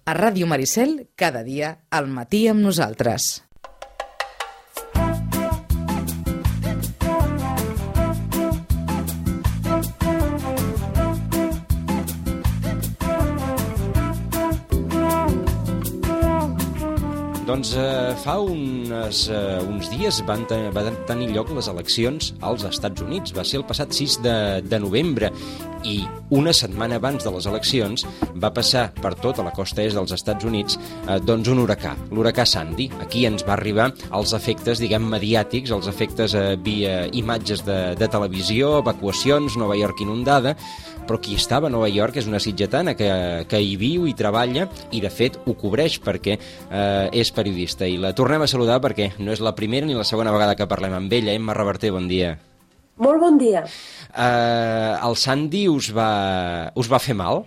A Ràdio Maricel, cada dia, al matí amb nosaltres. Doncs fa uns dies van tenir lloc les eleccions als Estats Units. Va ser el passat 6 de novembre i una setmana abans de les eleccions va passar per tota la costa est dels Estats Units doncs un huracà, l'huracà Sandy. Aquí ens va arribar els efectes, diguem, mediàtics, els efectes via imatges de televisió, evacuacions, Nova York inundada, però qui estava a Nova York és una sitgetana que hi viu i treballa i, de fet, ho cobreix perquè és periodista. I la tornem a saludar perquè no és la primera ni la segona vegada que parlem amb ella. Emma Reverter, bon dia. Molt bon dia. El Sandy us va fer mal?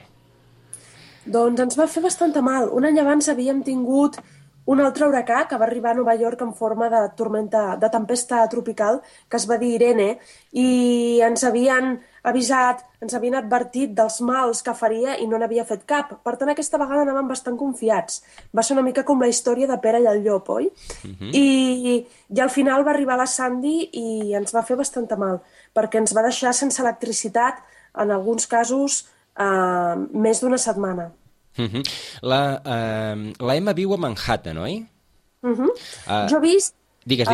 Doncs ens va fer bastant mal. Un any abans havíem tingut un altre huracà que va arribar a Nova York en forma de tormenta, de tempesta tropical, que es va dir Irene, i ens havien avisat, ens havien advertit dels mals que faria i no n'havia fet cap. Per tant, aquesta vegada anàvem bastant confiats. Va ser una mica com la història de Pere i el llop, oi? I al final va arribar la Sandy i ens va fer bastant mal, perquè ens va deixar sense electricitat, en alguns casos, més d'una setmana. La Emma viu a Manhattan, oi? Jo he vist... Digues.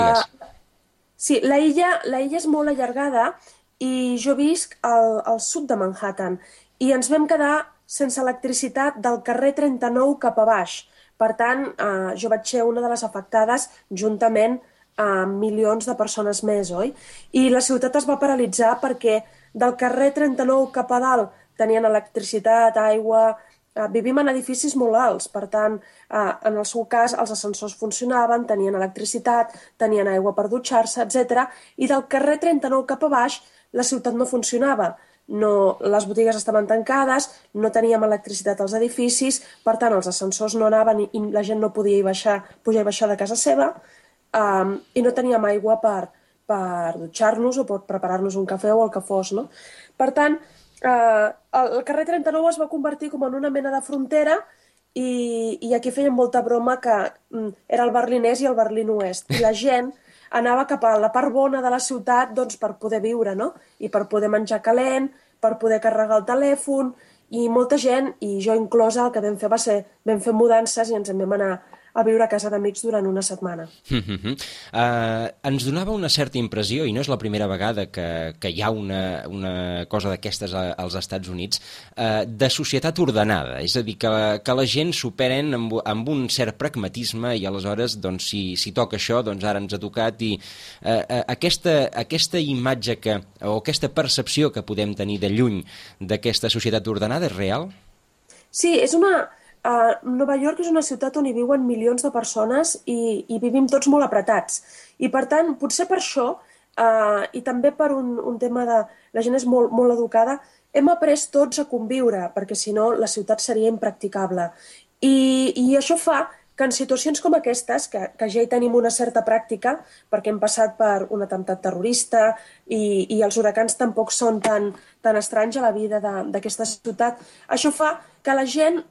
Sí, la illa és molt allargada i jo visc al sud de Manhattan i ens vam quedar sense electricitat del carrer 39 cap a baix. Per tant, jo vaig ser una de les afectades juntament amb milions de persones més, oi? I la ciutat es va paralitzar perquè del carrer 39 cap a dalt tenien electricitat, aigua... Vivim en edificis molt alts, per tant, en el seu cas, els ascensors funcionaven, tenien electricitat, tenien aigua per dutxar-se, etc. I del carrer 39 cap a baix, la ciutat no funcionava. Les botigues estaven tancades, no teníem electricitat als edificis, per tant, els ascensors no anaven i la gent no podia pujar i baixar de casa seva, i no teníem aigua per dutxar-nos o per preparar-nos un cafè o el que fos, no? Per tant, el carrer 39 es va convertir com en una mena de frontera i aquí feien molta broma que era el Berlinès i el Berlín Oest. I la gent anava cap a la part bona de la ciutat doncs, per poder viure, no? I per poder menjar calent, per poder carregar el telèfon, i molta gent, i jo inclosa, el que vam fer va ser, vam fer mudances i ens en vam anar a viure a casa d'amics durant una setmana. Ens donava una certa impressió, i no és la primera vegada que hi ha una cosa d'aquestes als Estats Units, de societat ordenada, és a dir, que la gent s'ho prenen amb un cert pragmatisme i aleshores, doncs, si toca això, doncs ara ens ha tocat, i aquesta imatge o aquesta percepció que podem tenir de lluny d'aquesta societat ordenada és real? Sí, Nova York és una ciutat on hi viuen milions de persones i vivim tots molt apretats. I per tant, potser per això, i també per un tema de... La gent és molt, molt educada, hem après tots a conviure, perquè si no la ciutat seria impracticable. I això fa que en situacions com aquestes, que ja hi tenim una certa pràctica, perquè hem passat per un atemptat terrorista i els huracans tampoc són tan estranys a la vida d'aquesta ciutat, això fa que la gent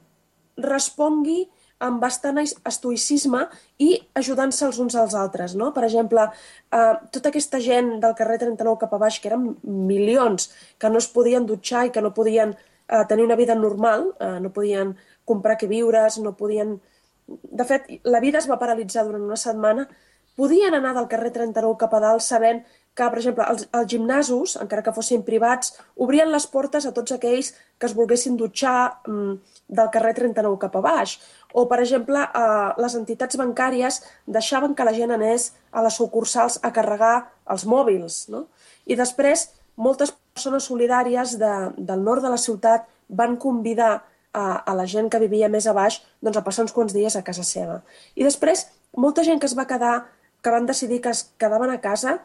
respongui amb bastant estoïcisme i ajudant-se els uns als altres, no? Per exemple, tota aquesta gent del carrer 39 cap a baix, que eren milions, que no es podien dutxar i que no podien tenir una vida normal, no podien comprar què viures, no podien... De fet, la vida es va paralitzar durant una setmana, podien anar del carrer 39 cap a dalt sabent que, per exemple, els gimnasos, encara que fossin privats, obrien les portes a tots aquells que es volguessin dutxar del carrer 39 cap a baix. O, per exemple, les entitats bancàries deixaven que la gent anés a les sucursals a carregar els mòbils, no? I després, moltes persones solidàries del nord de la ciutat van convidar a la gent que vivia més a baix doncs, a passar uns quants dies a casa seva. I després, molta gent que es va quedar, que van decidir que es quedaven a casa,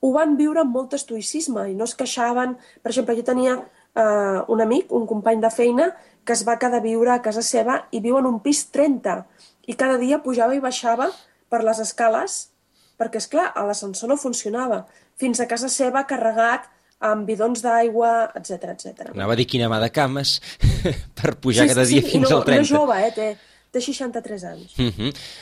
ho van viure amb molt estoïcisme i no es queixaven. Per exemple, jo tenia un amic, un company de feina, que es va quedar a viure a casa seva i viu en un pis 30 i cada dia pujava i baixava per les escales perquè, esclar, l'ascensor no funcionava. Fins a casa seva carregat amb bidons d'aigua, etc etc. Anava a dir quina mà de cames per pujar cada dia fins al 30. I no jove, té 63 anys.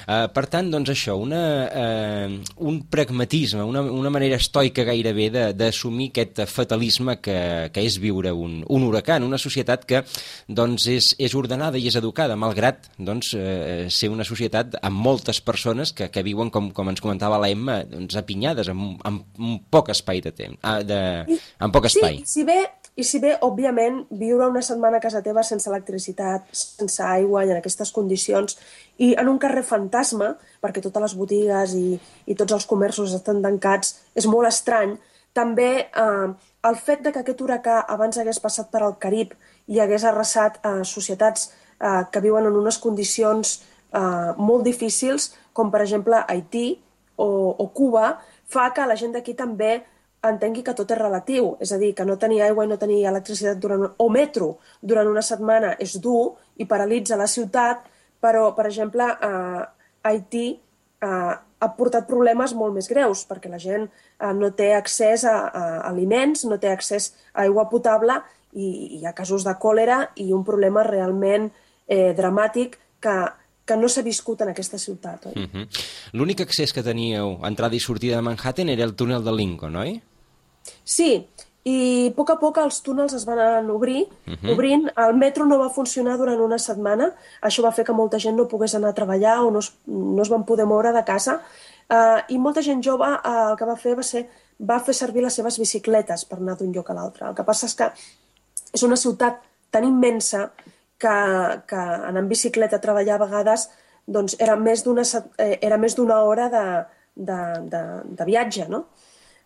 Per tant, doncs això, un pragmatisme, una manera estoica gairebé d'assumir aquest fatalisme que és viure un huracà en una societat que doncs, és ordenada i és educada, malgrat doncs, ser una societat amb moltes persones que viuen, com ens comentava l'Emma, doncs, apinyades amb poc espai de temps, amb poc espai. Sí, i si bé, òbviament, viure una setmana a casa teva sense electricitat, sense aigua i en aquestes condicions, i en un carrer fantasma, perquè totes les botigues i tots els comerços estan tancats, és molt estrany. També el fet de que aquest huracà abans hagués passat per al Carib i hagués arrasat societats que viuen en unes condicions molt difícils, com per exemple Haití o Cuba, fa que la gent d'aquí també entengui que tot és relatiu. És a dir, que no tenir aigua i no tenir electricitat o metro durant una setmana és dur i paralitza la ciutat, però, per exemple, Haití ha portat problemes molt més greus, perquè la gent no té accés a aliments, no té accés a aigua potable i hi ha casos de còlera i un problema realment dramàtic que no s'ha viscut en aquesta ciutat. Oi? L'únic accés que teníeu, entrada i sortida de Manhattan, era el túnel de Lincoln, oi? Sí, i a poc els túnels es van obrint. El metro no va funcionar durant una setmana. Això va fer que molta gent no pogués anar a treballar o no es van poder moure de casa. I molta gent jove el que va fer servir les seves bicicletes per anar d'un lloc a l'altre. El que passa és que és una ciutat tan immensa que anar en bicicleta a treballar a vegades doncs, era més d'una hora de viatge, no?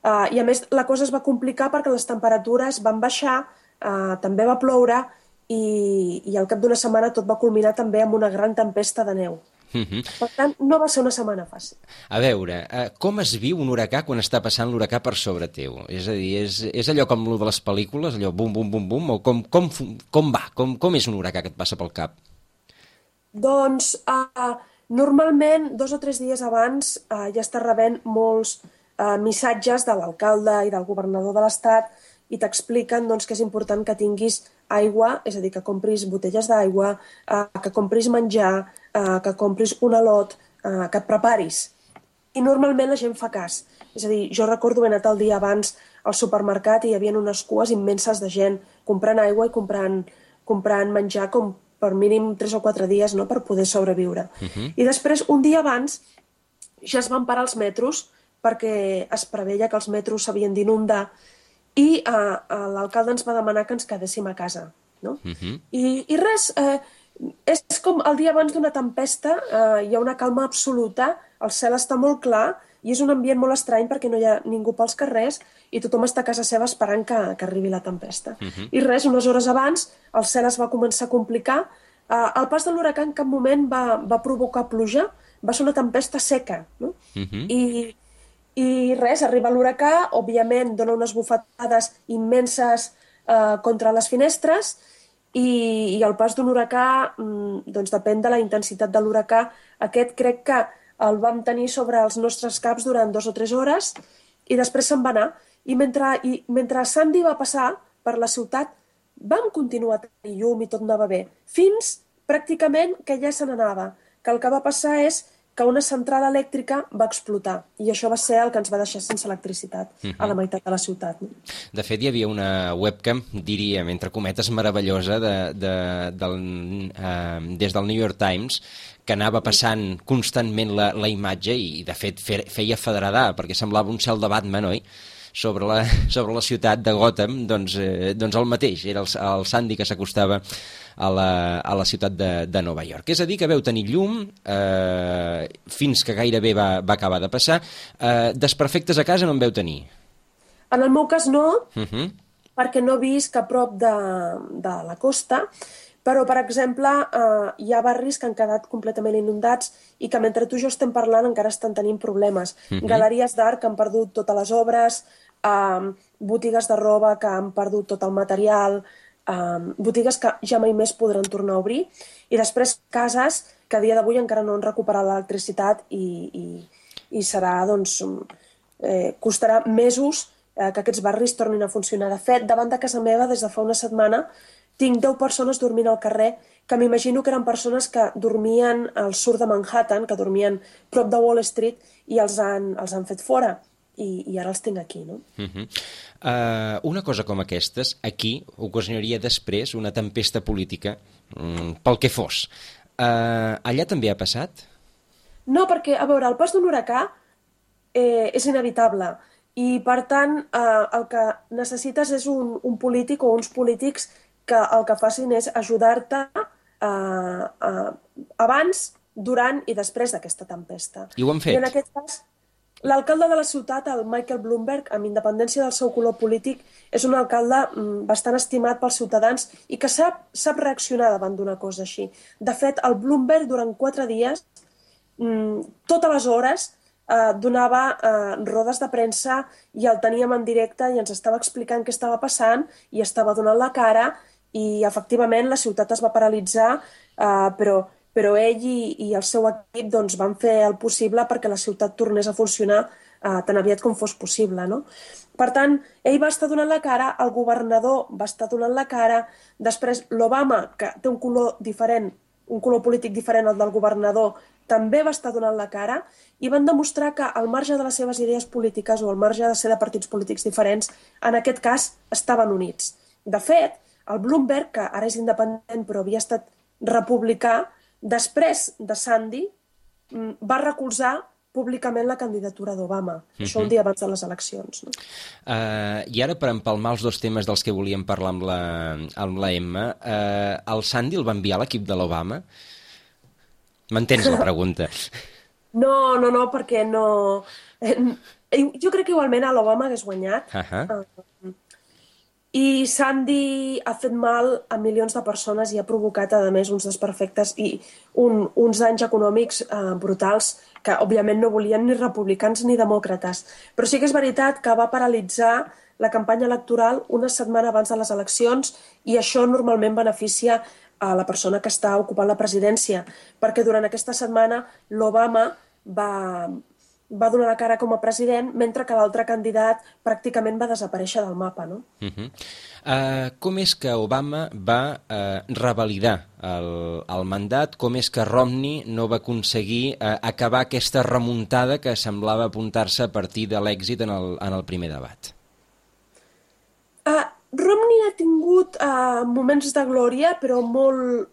I a més la cosa es va complicar perquè les temperatures van baixar, també va ploure i al cap d'una setmana tot va culminar també amb una gran tempesta de neu. Per tant, no va ser una setmana fàcil. A veure, com es viu un huracà quan està passant l'huracà per sobre teu? És a dir, és allò com el de les pel·lícules, allò bum, bum, bum, bum, o com va? Com és un huracà que et passa pel cap? Doncs, normalment, 2 o 3 dies abans ja estàs rebent molts missatges de l'alcalde i del governador de l'estat i t'expliquen doncs, que és important que tinguis aigua, és a dir, que compris botelles d'aigua, que compris menjar, que compris un alot, que et preparis. I normalment la gent fa cas. És a dir, jo recordo haver anat el dia abans al supermercat i hi havia unes cues immenses de gent comprant aigua i comprant menjar com per mínim 3 o 4 dies, no?, per poder sobreviure. I després, un dia abans, ja es van parar els metros perquè es preveia que els metros s'havien d'inundar i l'alcalde ens va demanar que ens quedéssim a casa. No? I res, és com el dia abans d'una tempesta, hi ha una calma absoluta, el cel està molt clar i és un ambient molt estrany perquè no hi ha ningú pels carrers i tothom està a casa seva esperant que arribi la tempesta. I res, unes hores abans, el cel es va començar a complicar. El pas de l'huracà en cap moment va provocar pluja, va ser una tempesta seca. No? I res, arriba l'huracà, òbviament dona unes bufetades immenses contra les finestres i el pas d'un huracà doncs depèn de la intensitat de l'huracà. Aquest crec que el vam tenir sobre els nostres caps durant 2 o 3 hores i després se'n va anar. I mentre Sandy va passar per la ciutat vam continuar a tenir llum i tot anava bé, fins pràcticament que ja se n'anava, que el que va passar és que una central elèctrica va explotar i això va ser el que ens va deixar sense electricitat a la meitat de la ciutat. De fet, hi havia una webcam, diríem, entre cometes, meravellosa des del New York Times que anava passant constantment la imatge i, de fet, feia federadar, perquè semblava un cel de Batman, oi? Sobre la ciutat de Gotham, doncs el mateix, era el Sandy que s'acostava a la ciutat de Nova York. És a dir, que veu tenir llum fins que gairebé va acabar de passar. Desperfectes a casa no en veu tenir? En el meu cas no, perquè no visc a prop de la costa, però, per exemple, hi ha barris que han quedat completament inundats i que mentre tu i jo estem parlant encara estan tenint problemes. Galeries d'art que han perdut totes les obres, botigues de roba que han perdut tot el material, botigues que ja mai més podran tornar a obrir, i després cases que a dia d'avui encara no han recuperat l'electricitat i serà, doncs, costarà mesos que aquests barris tornin a funcionar. De fet, davant de casa meva, des de fa una setmana, tinc 10 persones dormint al carrer, que m'imagino que eren persones que dormien al sud de Manhattan, que dormien prop de Wall Street, i els han fet fora. I ara els tinc aquí, no? Una cosa com aquestes, aquí, ocasionaria després una tempesta política, pel que fos. Allà també ha passat? No, perquè, a veure, el pas d'un huracà és inevitable i, per tant, el que necessites és un polític o uns polítics que el que facin és ajudar-te abans, durant i després d'aquesta tempesta. I ho han fet? I en aquest cas, l'alcalde de la ciutat, el Michael Bloomberg, amb independència del seu color polític, és un alcalde bastant estimat pels ciutadans i que sap reaccionar davant d'una cosa així. De fet, el Bloomberg, durant 4 dies, totes les hores, donava rodes de premsa i el teníem en directe i ens estava explicant què estava passant i estava donant la cara i, efectivament, la ciutat es va paralitzar, però ell i el seu equip doncs, van fer el possible perquè la ciutat tornés a funcionar tan aviat com fos possible, no? Per tant, ell va estar donant la cara, el governador va estar donant la cara, després l'Obama, que té un color diferent, un color polític diferent al del governador, també va estar donant la cara i van demostrar que, al marge de les seves idees polítiques o al marge de ser de partits polítics diferents, en aquest cas estaven units. De fet, el Bloomberg, que ara és independent però havia estat republicà, després de Sandy, va recolzar públicament la candidatura d'Obama. Això un dia abans de les eleccions. No? I ara, per empalmar els dos temes dels que volíem parlar amb la Emma, el Sandy el va enviar a l'equip de l'Obama? M'entens la pregunta? No, perquè no... Jo crec que igualment a l'Obama hagués guanyat. I Sandy ha fet mal a milions de persones i ha provocat, a més, uns desperfectes i uns danys econòmics brutals que, òbviament, no volien ni republicans ni demòcrates. Però sí que és veritat que va paralitzar la campanya electoral una setmana abans de les eleccions i això normalment beneficia a la persona que està ocupant la presidència, perquè durant aquesta setmana l'Obama va donar la cara com a president, mentre que l'altre candidat pràcticament va desaparèixer del mapa, no? Com és que Obama va revalidar el mandat? Com és que Romney no va aconseguir acabar aquesta remuntada que semblava apuntar-se a partir de l'èxit en el primer debat? Romney ha tingut moments de glòria, però molt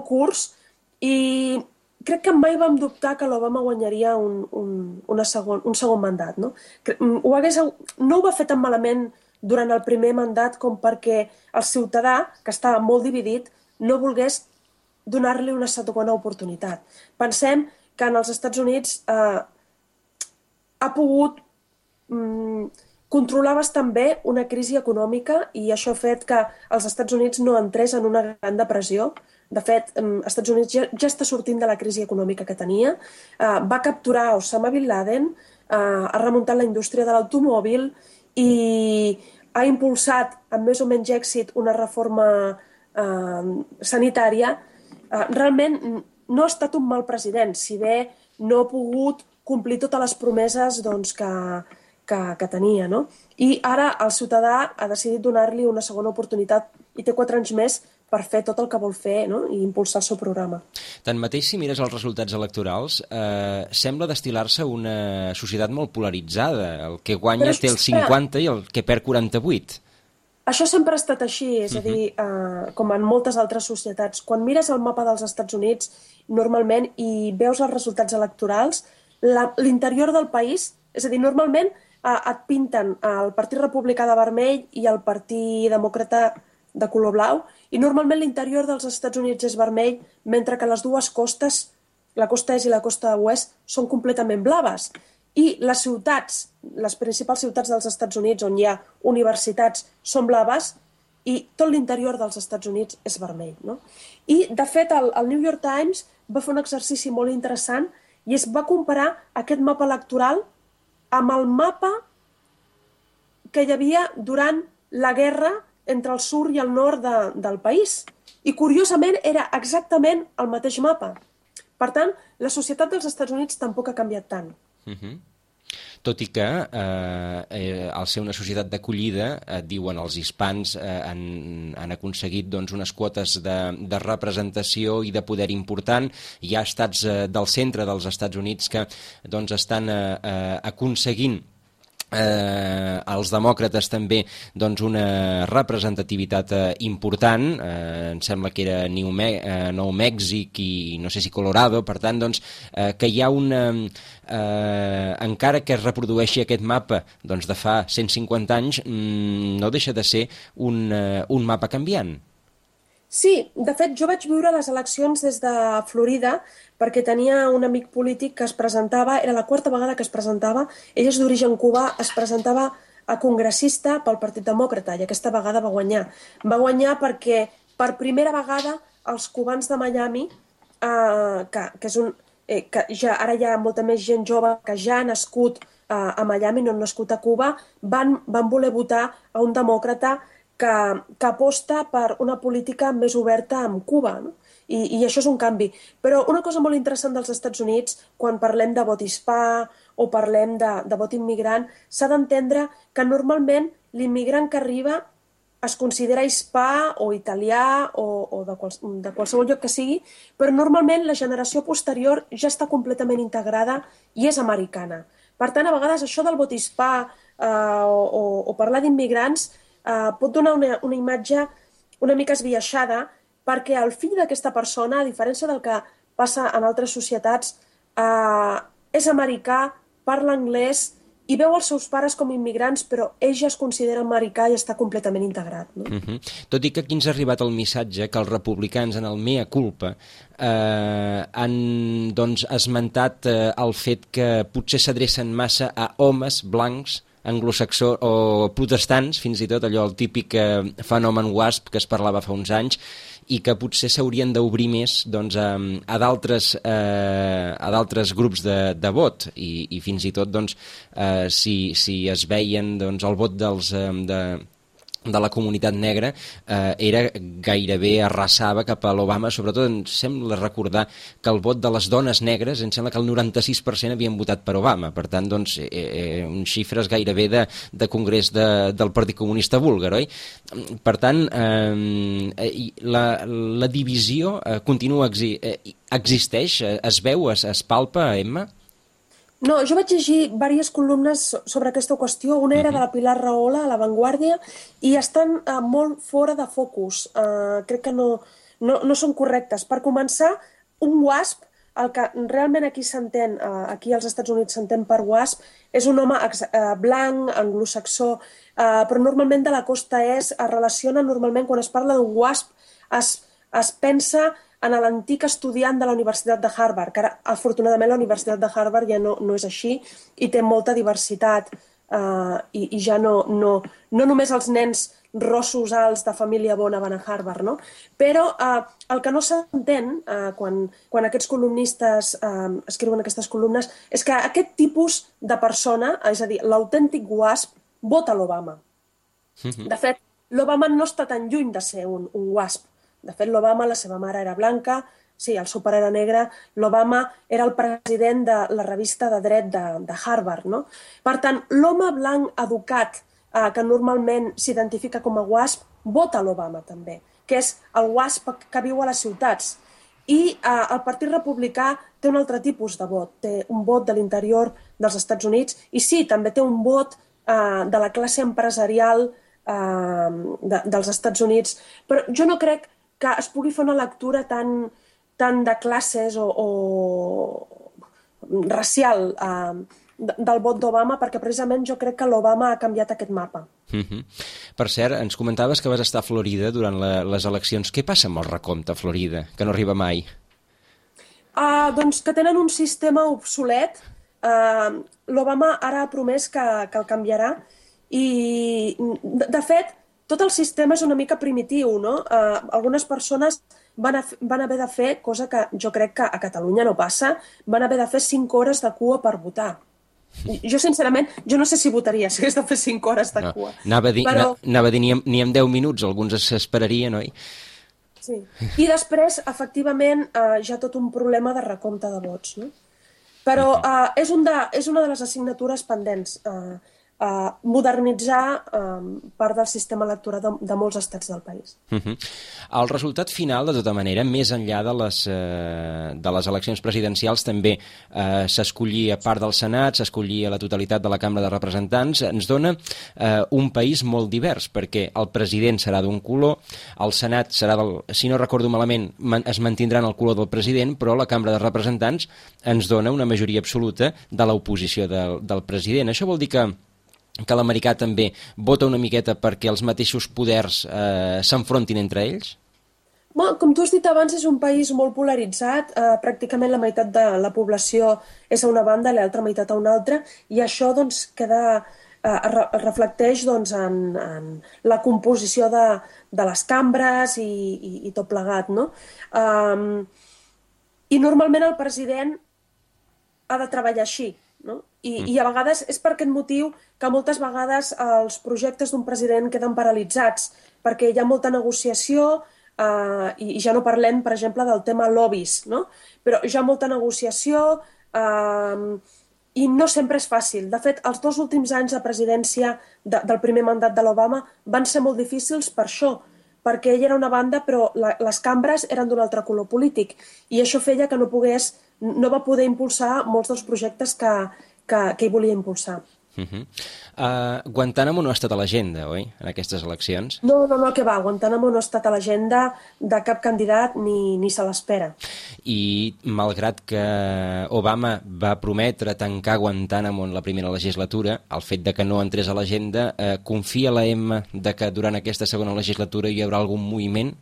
curts, i crec que mai vam dubtar que l'Obama guanyaria un segon mandat. No? No ho va fer tan malament durant el primer mandat com perquè el ciutadà, que estava molt dividit, no volgués donar-li una segona oportunitat. Pensem que en els Estats Units ha pogut controlar bastant bé una crisi econòmica i això ha fet que els Estats Units no entrés en una gran depressió. De fet, els Estats Units ja està sortint de la crisi econòmica que tenia, va capturar Osama Bin Laden, ha remuntat la indústria de l'automòbil i ha impulsat amb més o menys èxit una reforma sanitària. Realment no ha estat un mal president, si bé no ha pogut complir totes les promeses que tenia. No? I ara el ciutadà ha decidit donar-li una segona oportunitat i té 4 anys més per fer tot el que vol fer, no? I impulsar el seu programa. Tanmateix, si mires els resultats electorals, sembla destil·lar-se una societat molt polaritzada. El que guanya té el 50 i el que perd 48. Això sempre ha estat així, és a dir, com en moltes altres societats. Quan mires el mapa dels Estats Units, normalment, i veus els resultats electorals, l'interior del país, és a dir, normalment et pinten el Partit Republicà de vermell i el Partit Demòcrata de color blau, i normalment l'interior dels Estats Units és vermell, mentre que les dues costes, la costa est i la costa oest, són completament blaves. I les ciutats, les principals ciutats dels Estats Units, on hi ha universitats, són blaves, i tot l'interior dels Estats Units és vermell. No? I, de fet, el New York Times va fer un exercici molt interessant i es va comparar aquest mapa electoral amb el mapa que hi havia durant la guerra entre el sud i el nord del país. I, curiosament, era exactament el mateix mapa. Per tant, la societat dels Estats Units tampoc ha canviat tant. tot i que al ser una societat d'acollida, diuen els hispans han aconseguit doncs, unes quotes de representació i de poder important. Hi ha estats del centre dels Estats Units que doncs, estan aconseguint els demòcrates també doncs, una representativitat important, em sembla que era Nou Mèxic i no sé si Colorado, per tant doncs, que hi ha encara que es reprodueixi aquest mapa doncs, de fa 150 anys, no deixa de ser un mapa canviant. Sí, de fet, jo vaig viure les eleccions des de Florida perquè tenia un amic polític que es presentava, era la 4ª vegada que es presentava, ell és d'origen cubà, es presentava a congressista pel Partit Demòcrata i aquesta vegada va guanyar. Va guanyar perquè per primera vegada els cubans de Miami, que és que ja, ara hi ha molta més gent jove que ja ha nascut a Miami, no han nascut a Cuba, van voler votar a un demòcrata que aposta per una política més oberta amb Cuba, no? I això és un canvi. Però una cosa molt interessant dels Estats Units, quan parlem de vot hispà o parlem de vot immigrant, s'ha d'entendre que normalment l'immigrant que arriba es considera hispà o italià o de qualsevol lloc que sigui, però normalment la generació posterior ja està completament integrada i és americana. Per tant, a vegades això del vot hispà o parlar d'immigrants pot donar una imatge una mica esbiaixada perquè el fill d'aquesta persona, a diferència del que passa en altres societats, és americà, parla anglès i veu els seus pares com immigrants, però ell ja es considera americà i està completament integrat. No? Tot i que aquí ens ha arribat el missatge que els republicans en el mea culpa han doncs, esmentat el fet que potser s'adrecen massa a homes blancs anglosaxó o protestants, fins i tot allò el típic fenomen WASP que es parlava fa uns anys, i que potser s'haurien d'obrir més doncs, a d'altres grups de vot i fins i tot doncs, si es veien doncs, el vot de la comunitat negra era gairebé arrasava cap a l'Obama, sobretot em sembla recordar que el vot de les dones negres em sembla que el 96% havien votat per Obama, per tant doncs uns xifres gairebé de congrés del Partit Comunista búlgar, oi? Per tant la divisió continua existeix, es veu, es palpa, Emma? No, jo vaig llegir diverses columnes sobre aquesta qüestió. Una era de la Pilar Rahola, a La Vanguardia, i estan molt fora de focus. Crec que no són correctes. Per començar, un WASP, el que realment aquí s'entén, aquí als Estats Units s'entén per WASP, és un home blanc, anglosaxó, però normalment de la costa est es relaciona normalment, quan es parla d'un WASP, es pensa en l'antic estudiant de la Universitat de Harvard, que ara, afortunadament, la Universitat de Harvard ja no és així i té molta diversitat i ja no només els nens rossos alts de família bona van a Harvard, no? Però el que no s'entén quan aquests columnistes escriuen aquestes columnes és que aquest tipus de persona, és a dir, l'autèntic WASP, vota l'Obama. De fet, l'Obama no està tan lluny de ser un WASP. De fet, l'Obama, la seva mare era blanca, sí, el seu pare era negre, l'Obama era el president de la revista de dret de Harvard, no? Per tant, l'home blanc educat, que normalment s'identifica com a WASP, vota l'Obama també, que és el WASP que viu a les ciutats. I el Partit Republicà té un altre tipus de vot, té un vot de l'interior dels Estats Units i sí, també té un vot de la classe empresarial dels Estats Units, però jo no crec que es pugui fer una lectura tan de classes o racial del vot d'Obama, perquè precisament jo crec que l'Obama ha canviat aquest mapa. Per cert, ens comentaves que vas estar a Florida durant les eleccions. Què passa amb el recompte a Florida, que no arriba mai? Doncs que tenen un sistema obsolet. L'Obama ara ha promès que el canviarà i, de fet, tot el sistema és una mica primitiu, no? Algunes persones van haver de fer, cosa que jo crec que a Catalunya no passa, van haver de fer 5 hores de cua per votar. Jo, sincerament, jo no sé si votaria si hagués de fer 5 hores de cua. Anava a dir ni en 10 minuts, alguns s'esperarien, oi? Sí. I després, efectivament, hi ha tot un problema de recompte de vots, no? Però és una de les assignatures pendents, modernitzar part del sistema electoral de molts estats del país. El resultat final, de tota manera, més enllà de les eleccions presidencials, també s'escollia part del Senat, s'escollia la totalitat de la Cambra de Representants, ens dona un país molt divers, perquè el president serà d'un color, el Senat serà si no recordo malament, es mantindrà en el color del president, però la Cambra de Representants ens dona una majoria absoluta de l'oposició del president. Això vol dir que l'americà també vota una miqueta perquè els mateixos poders s'enfrontin entre ells? Com tu has dit abans, és un país molt polaritzat, pràcticament la meitat de la població és a una banda i l'altra meitat a una altra, i això doncs, reflecteix en la composició de les cambres i tot plegat, no? I normalment el president ha de treballar així, no? I a vegades és per aquest motiu que moltes vegades els projectes d'un president queden paralitzats, perquè hi ha molta negociació, i ja no parlem, per exemple, del tema lobbies, no? Però hi ha molta negociació i no sempre és fàcil. De fet, els 2 últims anys de presidència del primer mandat de l'Obama van ser molt difícils per això, perquè ell era una banda però les cambres eren d'un altre color polític, i això feia que no va poder impulsar molts dels projectes que ell volia impulsar. Guantánamo no ha estat a l'agenda, oi, en aquestes eleccions? No, que va, Guantánamo no ha estat a l'agenda de cap candidat ni se l'espera. I malgrat que Obama va prometre tancar Guantánamo en la primera legislatura, el fet de que no entrés a l'agenda, confia la M de que durant aquesta segona legislatura hi haurà algun moviment?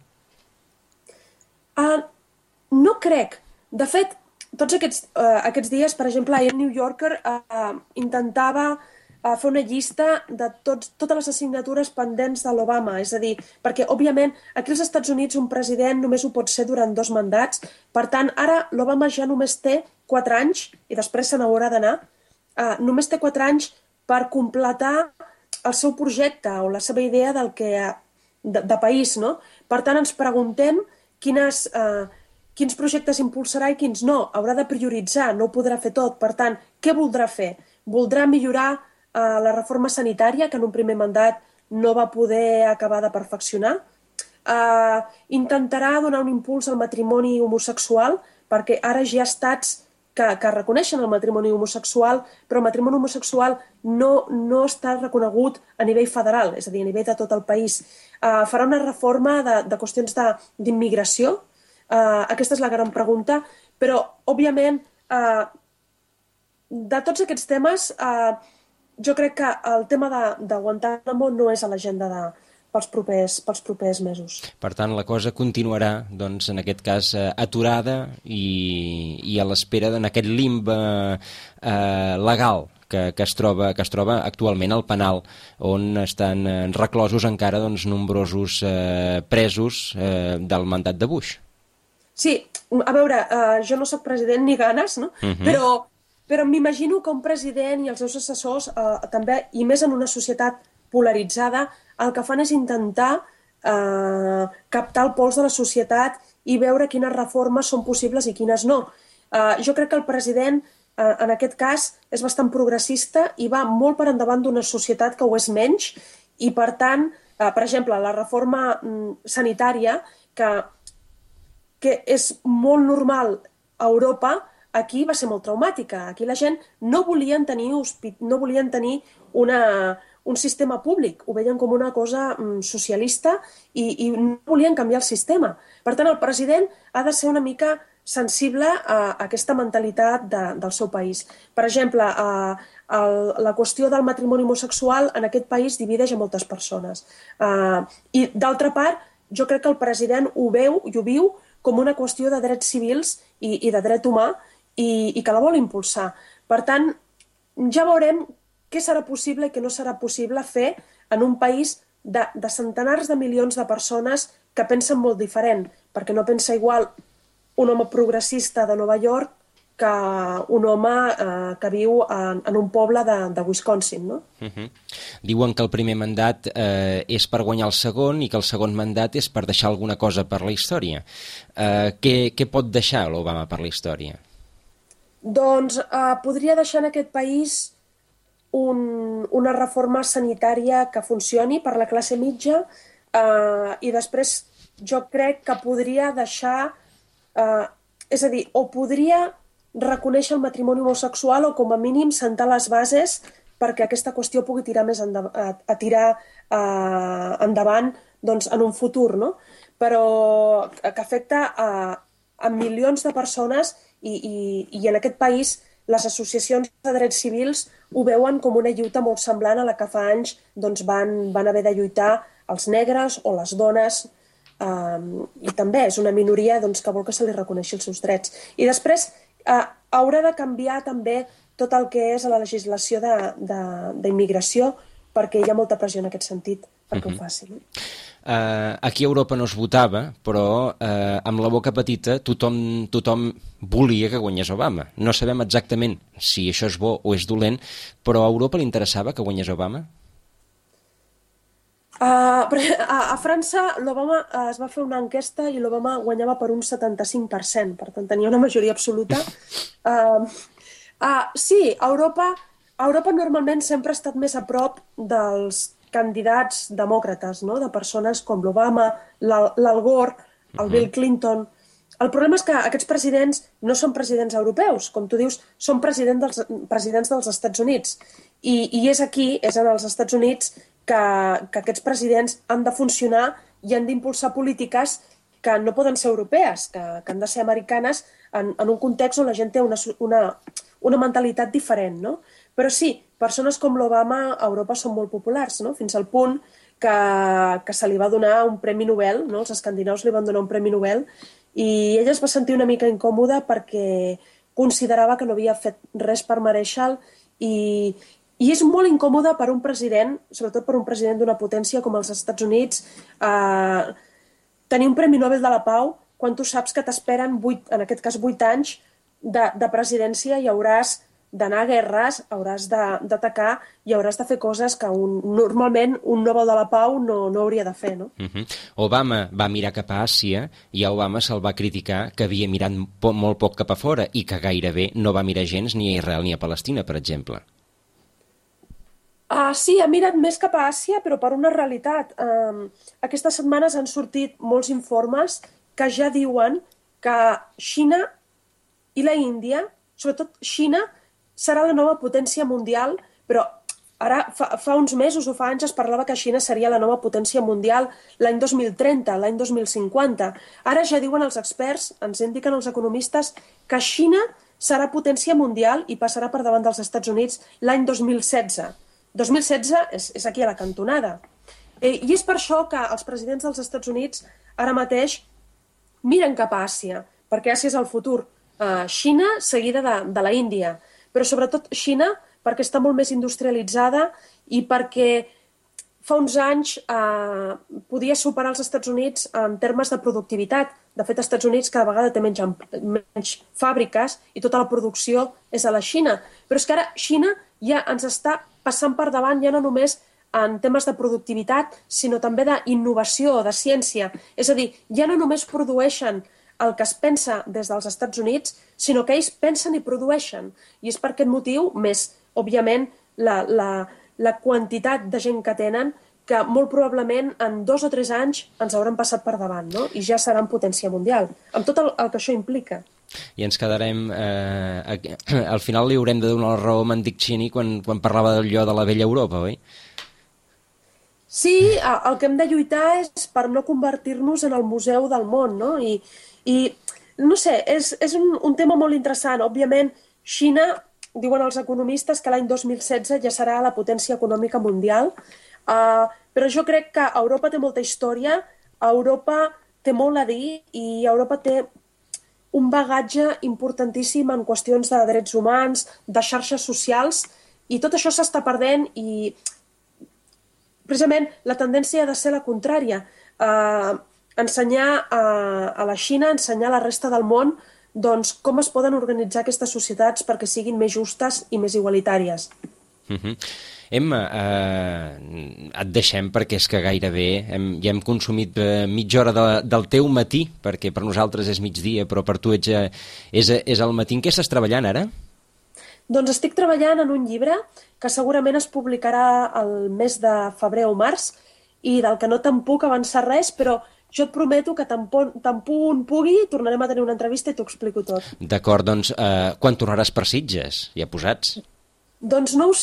No crec. De fet, tots aquests dies, per exemple, el New Yorker intentava fer una llista de totes les assignatures pendents de l'Obama, és a dir, perquè, òbviament, aquí als Estats Units un president només ho pot ser durant 2 mandats, per tant, ara l'Obama ja només té 4 anys, i després se n'haurà d'anar, només té 4 anys per completar el seu projecte o la seva idea de país, no? Per tant, ens preguntem quins projectes impulsarà i quins no. Haurà de prioritzar, no ho podrà fer tot. Per tant, què voldrà fer? Voldrà millorar la reforma sanitària, que en un primer mandat no va poder acabar de perfeccionar? Intentarà donar un impuls al matrimoni homosexual, perquè ara ja hi ha estats que reconeixen el matrimoni homosexual, però el matrimoni homosexual no està reconegut a nivell federal, és a dir, a nivell de tot el país. Farà una reforma de qüestions d'immigració. Aquesta és la gran pregunta, però, òbviament, de tots aquests temes, jo crec que el tema de Guantánamo no és a l'agenda pels propers mesos. Per tant, la cosa continuarà, doncs, en aquest cas, aturada i a l'espera en aquest limbe legal que es troba actualment al penal, on estan reclosos encara nombrosos presos del mandat de Bush. Sí, a veure, jo no sóc president ni ganes, no? Però m'imagino que un president i els seus assessors també, i més en una societat polaritzada, el que fan és intentar captar el pols de la societat i veure quines reformes són possibles i quines no. Jo crec que el president, en aquest cas, és bastant progressista i va molt per endavant d'una societat que ho és menys, i per tant, per exemple, la reforma sanitària, que és molt normal a Europa, aquí va ser molt traumàtica. Aquí la gent no volien tenir un sistema públic, ho veien com una cosa socialista i no volien canviar el sistema. Per tant, el president ha de ser una mica sensible a aquesta mentalitat del seu país. Per exemple, la qüestió del matrimoni homosexual en aquest país divideix a moltes persones. I, d'altra part, jo crec que el president ho veu i ho viu com una qüestió de drets civils i de dret humà i que la vol impulsar. Per tant, ja veurem què serà possible i què no serà possible fer en un país de centenars de milions de persones que pensen molt diferent, perquè no pensa igual un home progressista de Nova York que un home que viu en un poble de Wisconsin, no? Diuen que el primer mandat és per guanyar el segon i que el segon mandat és per deixar alguna cosa per la història. Què pot deixar l'Obama per la història? Doncs podria deixar en aquest país una reforma sanitària que funcioni per la classe mitja i després jo crec que podria deixar, és a dir, o podria reconèixer el matrimoni homosexual o com a mínim sentar les bases perquè aquesta qüestió pugui tirar més endavant doncs, en un futur, no? Però que afecta a milions de persones i en aquest país les associacions de drets civils ho veuen com una lluita molt semblant a la que fa anys doncs, van haver de lluitar els negres o les dones i també és una minoria doncs, que vol que se li reconeixi els seus drets. I després haurà de canviar també tot el que és a la legislació d'immigració perquè hi ha molta pressió en aquest sentit perquè ho facin. Aquí a Europa no es votava, però amb la boca petita tothom volia que guanyés Obama. No sabem exactament si això és bo o és dolent, però a Europa li interessava que guanyés Obama? A França l'Obama es va fer una enquesta i l'Obama guanyava per un 75%, per tant tenia una majoria absoluta. Sí, Europa normalment sempre ha estat més a prop dels candidats demòcrates, no? De persones com l'Obama, l'Al Gore, el Bill Clinton. El problema és que aquests presidents no són presidents europeus, com tu dius, són presidents dels Estats Units. I és aquí, és en els Estats Units, que aquests presidents han de funcionar i han d'impulsar polítiques que no poden ser europees, que han de ser americanes en un context on la gent té una mentalitat diferent, no? Però sí, persones com l'Obama a Europa són molt populars, no? Fins al punt que se li va donar un premi Nobel, no? Els escandinaus li van donar un premi Nobel i ella es va sentir una mica incòmoda perquè considerava que no havia fet res per mereixer-lo i és molt incòmode per un president, sobretot per un president d'una potència com els Estats Units, tenir un Premi Nobel de la Pau quan tu saps que t'esperen, en aquest cas, 8 anys de presidència i hauràs d'anar a guerres, hauràs d'atacar i hauràs de fer coses que normalment un Nobel de la Pau no hauria de fer, no? Obama va mirar cap a Àsia i a Obama se'l va criticar que havia mirat molt poc cap a fora i que gairebé no va mirar gens ni a Israel ni a Palestina, per exemple. Sí, ha mirat més cap a Àsia, però per una realitat. Aquestes setmanes han sortit molts informes que ja diuen que Xina i la Índia, sobretot Xina, serà la nova potència mundial, però ara fa uns mesos o fa anys es parlava que Xina seria la nova potència mundial l'any 2030, l'any 2050. Ara ja diuen els experts, ens indiquen els economistes, que Xina serà potència mundial i passarà per davant dels Estats Units l'any 2016. 2016 és aquí a la cantonada. I és per això que els presidents dels Estats Units ara mateix miren cap a Àsia, perquè Àsia és el futur. Xina seguida de la Índia, però sobretot Xina perquè està molt més industrialitzada i perquè fa uns anys podia superar els Estats Units en termes de productivitat. De fet, als Estats Units cada vegada té menys fàbriques i tota la producció és a la Xina. Però és que ara Xina ja ens està passant per davant ja no només en temes de productivitat, sinó també d'innovació, de ciència. És a dir, ja no només produeixen el que es pensa des dels Estats Units, sinó que ells pensen i produeixen. I és per aquest motiu, més, òbviament, la quantitat de gent que tenen, que molt probablement en 2 o 3 anys ens hauran passat per davant, no? I ja seran potència mundial, amb tot el que això implica. I ens quedarem... al final li haurem de donar la raó a en Dick Cheney quan parlava d'allò de la vella Europa, oi? Sí, el que hem de lluitar és per no convertir-nos en el museu del món, no? I no sé, és un tema molt interessant. Òbviament, Xina, diuen els economistes, que l'any 2016 ja serà la potència econòmica mundial, però jo crec que Europa té molta història, Europa té molt a dir i Europa té un bagatge importantíssim en qüestions de drets humans, de xarxes socials, i tot això s'està perdent i precisament la tendència ha de ser la contrària. Ensenyar a la Xina, ensenyar a la resta del món doncs, com es poden organitzar aquestes societats perquè siguin més justes i més igualitàries. Emma, et deixem perquè és que gairebé ja hem consumit mitja hora del teu matí, perquè per nosaltres és migdia, però per tu és el matí. En què estàs treballant ara? Doncs estic treballant en un llibre que segurament es publicarà el mes de febrer o març i del que no te'n puc avançar res, però jo et prometo que tan punt pugui tornarem a tenir una entrevista i t'ho explico tot. D'acord, doncs quan tornaràs per Sitges? Ja posats? Doncs no ho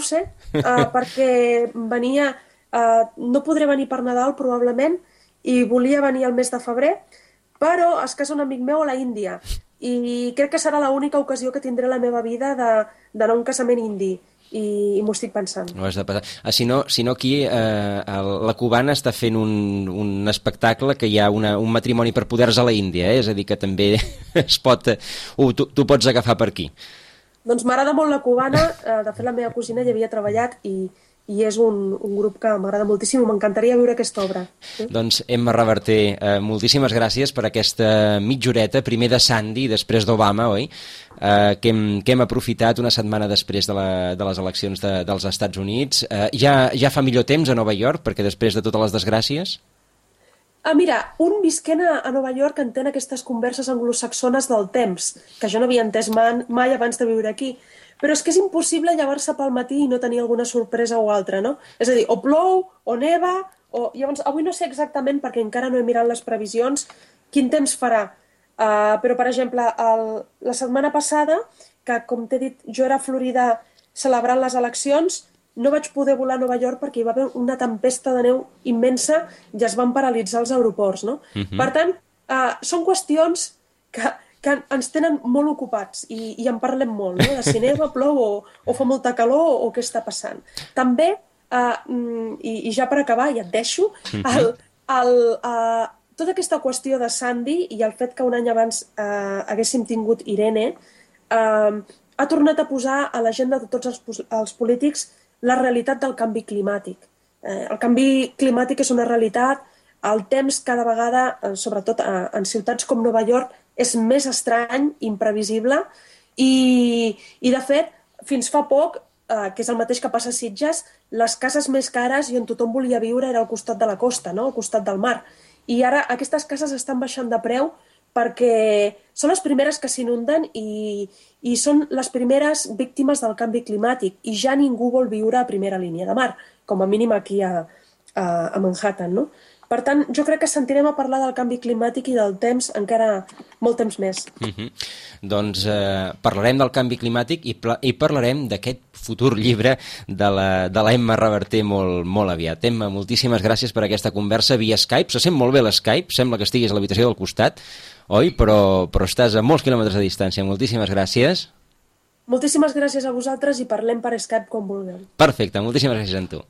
sé, perquè venia... no podré venir per Nadal probablement i volia venir al mes de febrer, però es casa un amic meu a la Índia i crec que serà l'única ocasió que tindré a la meva vida d'anar a un casament indi. I m'ho estic pensant. No has de passar. Si no aquí la cubana està fent un espectacle que hi ha un matrimoni per poders a la Índia, és a dir, que també es pot... Tu pots agafar per aquí. Doncs m'agrada molt la cubana, de fet la meva cosina hi havia treballat i és un grup que m'agrada moltíssim i m'encantaria viure aquesta obra. Doncs Emma Reverter, moltíssimes gràcies per aquesta mitja horeta, primer de Sandy i després d'Obama, oi? Que hem aprofitat una setmana després de les eleccions dels Estats Units. Ja fa millor temps a Nova York, perquè després de totes les desgràcies... Mira, un visquent a Nova York entén aquestes converses anglosaxones del temps, que jo no havia entès mai abans de viure aquí. Però és que és impossible llevar-se pel matí i no tenir alguna sorpresa o altra, no? És a dir, o plou, o neva, o... Llavors, avui no sé exactament, perquè encara no he mirat les previsions, quin temps farà. Però, per exemple, la setmana passada, que, com t'he dit, jo era a Florida celebrant les eleccions, no vaig poder volar a Nova York perquè hi va haver una tempesta de neu immensa i es van paralitzar els aeroports, no? Per tant, són qüestions que ens tenen molt ocupats i en parlem molt, no? De si neva, plou o fa molta calor o què està passant. També, i ja per acabar, ja et deixo, tota aquesta qüestió de Sandy i el fet que un any abans haguéssim tingut Irene ha tornat a posar a l'agenda de tots els polítics la realitat del canvi climàtic. El canvi climàtic és una realitat, el temps cada vegada, sobretot en ciutats com Nova York, és més estrany, imprevisible, i de fet, fins fa poc, que és el mateix que passa a Sitges, les cases més cares i on tothom volia viure era al costat de la costa, no? Al costat del mar. I ara aquestes cases estan baixant de preu perquè són les primeres que s'inunden i són les primeres víctimes del canvi climàtic i ja ningú vol viure a primera línia de mar, com a mínim aquí a Manhattan, no? Per tant, jo crec que sentirem a parlar del canvi climàtic i del temps encara molt temps més. Doncs parlarem del canvi climàtic i parlarem d'aquest futur llibre de la Emma Reverter molt aviat. Emma, moltíssimes gràcies per aquesta conversa via Skype. Se sent molt bé l'Skype, sembla que estiguis a l'habitació del costat, oi? Però estàs a molts quilòmetres de distància. Moltíssimes gràcies. Moltíssimes gràcies a vosaltres i parlem per Skype quan vulgueu. Perfecte, moltíssimes gràcies a tu.